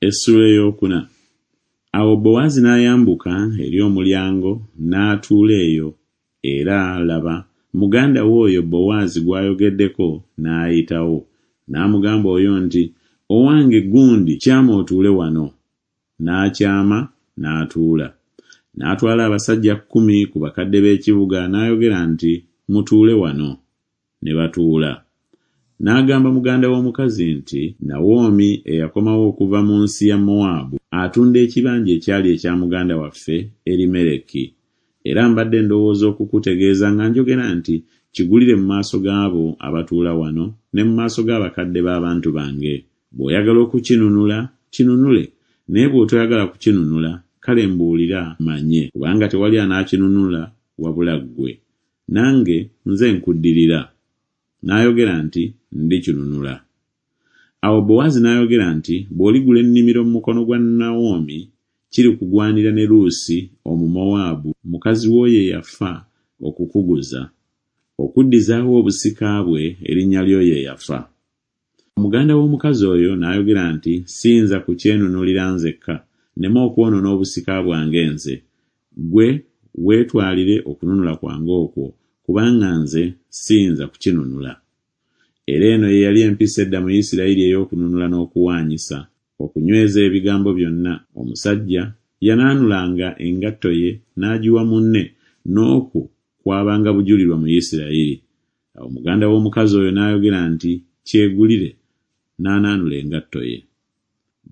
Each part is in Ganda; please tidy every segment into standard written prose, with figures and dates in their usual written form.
Essuula ey'okuna. Awo Bowaazi n'ayambuka eri omulyango n'atuula eyo, era, laba, muganda we oyo Bowaazi gw'ayogeddeko n'ayitawo. N'amugamba oyo nti Owange gundi, kyama otuule wano. N'akyama n'atuula. N'atwala abasajja kkumi ku bakadde b'ekibuga n'ayogera nti Mutuule wano. Ne batuula. N'agamba muganda w'omukazi nti Nawomi eyakomawo okuva mu nsi ya Mowaabu atunda ekibanja ekyali ekya muganda waffe Erimereki. Era mbadde ndowooza okukutegeeza nga njogera nti Kigulire mu maaso g'abo abatuula wano ne mu maaso g'abakadde b'abantu bange. Bw'oyagala okukinunula, kinunule, naye bw'otoyagala kukinunula, kale mbuulira mmanye, kubanga tewali anaakinunula wabula ggwe, nange nze nkuddirira. N'ayogera nti Ndikinunula. Awo Bowaazi n'ayogera nti Bw'oligula ennimiro mu mukono gwa Nawomi, kirikugwanira ne Luusi Omumowaabu mukazi w'oyo eyafa okukuguza, okuddizaawo obusika bwe erinnya ly'oyo eyafa. Muganda w'omukazi oyo n'ayogera nti Siyinza kukyenunulira nzekka, nneme okwonoona obusika bwange nze, ggwe weetwalire okununula kwange okwo, kubanga nze siyinza kukinunula. Era eno ye yali empisa edda mu Isiraeri ey'okununula n'okuwaanyisa, okunyweza ebigambo byonna, omusajja yanaanulanga engatto ye n'agiwa munne, n'okwo kwabanga bujulirwa mu Isiraeri. Awo muganda w'omukazi oyo n'ayogera nti Kyegulire. N'anaanula engatto ye.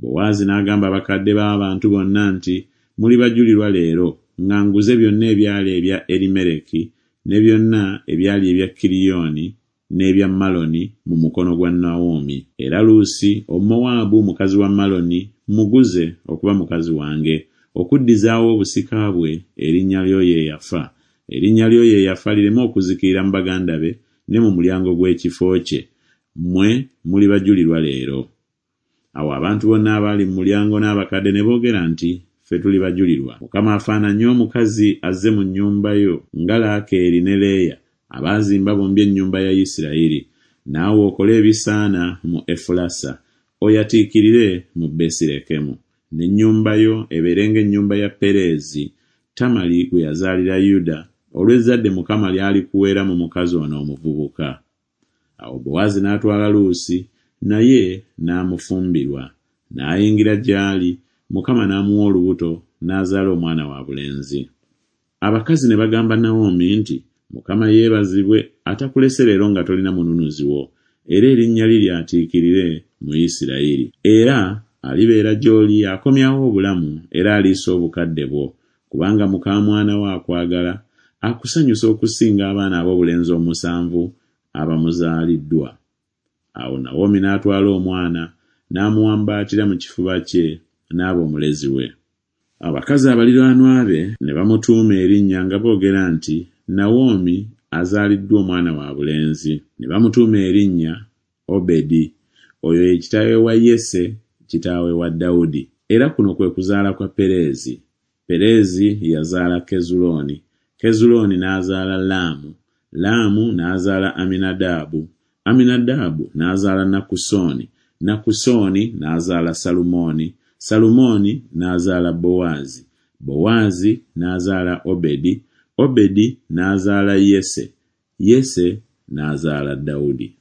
Bowaazi n'agamba abakadde b'abantu bonna nti Muli bajulirwa leero, nga nguze byonna ebyali ebya Erimereki ne byonna ebyali ebya Kiriyoni n'ebya Maloni mu mukono gwa Nawomi. Era Luusi Omumowaabu mukazi wa Maloni mmuguze okuba mukazi wange, okuddizaawo obusika bwe erinnya ly'oyo eyafa, erinnya ly'oyo eyafa lireme okuzikirira mu baganda be ne mu mulyango gw'ekifo kye, mmwe muli bajulirwa leero. Awo abantu bonna abaali mu mulyango n'abakadde ne boogera nti Ffe tuli bajulirwa. Mukama afaananye omukazi azze mu nnyumba yo nga Laakeeri ne Leeya abaazimba bombi ennyumba ya Isirayiri. Naawe okole ebisaana mu Efulasa, oyatiikirire mu Besirekemu, n'ennyumba yo ebeere ng'ennyumba ya Pereezi, Tamali gwe yazaalira Yuda, olw'ezzadde Mukama ly'alikuweera mu mukazi ono omuvubuka. Awo Bowaazi n'atwala Luusi, naye n'amufumbirwa, n'ayingira gy'ali, Mukama n'amuwa olubuto, n'azaala omwana wa bulenzi. Abakazi ne bagamba Nawomi nti Mukama yeebazibwe atakulese leero nga tolina mununuzi wo, era erinnya lye lyatiikirire mu Isirayiri. Era alibeera gy'oli akomyawo obulamu era aliisa obukadde bwo, kubanga mukaamwana wo akwagala, akusanyusa okusinga abaana aboobulenzi omusanvu abamuzaaliddwa. Awo Nawomi n'atwala omwana n'amuwambaatira mu kifuba kye, n'aba omulezi we. Abakazi abaliraanwa be ne bamutuuma erinnya nga boogera nti Nawomi azaaliddwa omwana wa bulenzi. Ne bamutuuma erinnya Obedi. Oyo ye kitaawe wa Yese kitaawe wa Dawudi. Era kuno kwe kuzaala kwa Pereezi. Pereezi yazaala Kezulooni, Kezulooni n'azaala Laamu, Laamu n'azaala Aminadaabu, Aminadaabu n'azaala Nakusooni, Nakusooni n'azaala Salumooni, Salumooni n'azaala Bowaazi, Bowaazi n'azaala Obedi, Obedi n'azaala Yese, Yese n'azaala Dawudi.